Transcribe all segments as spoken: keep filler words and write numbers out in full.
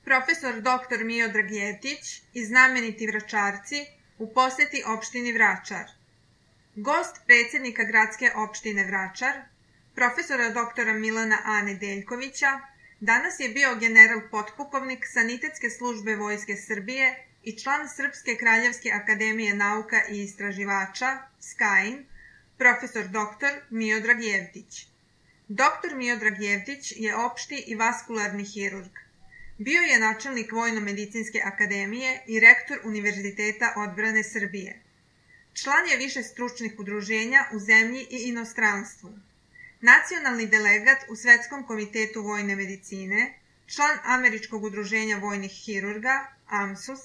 profesor doktor Miodrag Jevtić i znameniti Vračarci u poseti opštini Vračar. Gost predsjednika gradske opštine Vračar, profesora doktora Milana A. Nedeljkovića, danas je bio general potpukovnik Sanitetske službe Vojske Srbije i član Srpske kraljevske akademije nauka i istraživača, S K A I N, profesor doktor Miodrag Jevtić. doktor Miodrag Jevtić je opšti i vaskularni hirurg. Bio je načelnik Vojno-medicinske akademije i rektor Univerziteta odbrane Srbije. Član je više stručnih udruženja u zemlji i inostranstvu. Nacionalni delegat u Svetskom komitetu vojne medicine, član Američkog udruženja vojnih hirurga, A M S U S,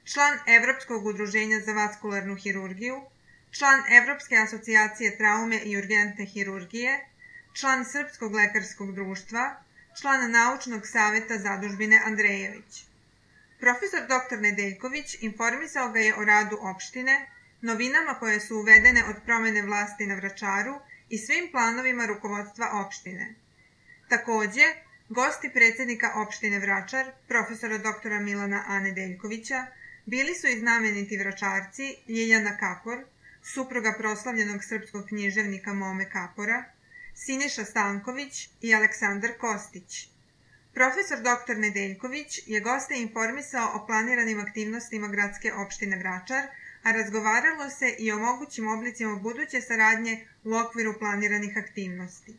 član Evropskog udruženja za vaskularnu hirurgiju, član Evropske asocijacije traume i urgentne hirurgije, član Srpskog lekarskog društva, član Naučnog saveta zadužbine Andrejević. Profesor doktor Nedeljković informisao ga je o radu opštine, novinama koje su uvedene od promene vlasti na Vračaru i svim planovima rukovodstva opštine. Takođe, gosti predsjednika opštine Vračar, profesora doktora Milana A. Nedeljkovića, bili su i znameniti Vračarci Ljiljana Kapor, supruga proslavljenog srpskog književnika Mome Kapora, Siniša Stanković i Aleksandar Kostić. Profesor doktor Nedeljković je goste informisao o planiranim aktivnostima gradske opštine Vračar, a razgovaralo se i o mogućim oblicima buduće saradnje u okviru planiranih aktivnosti.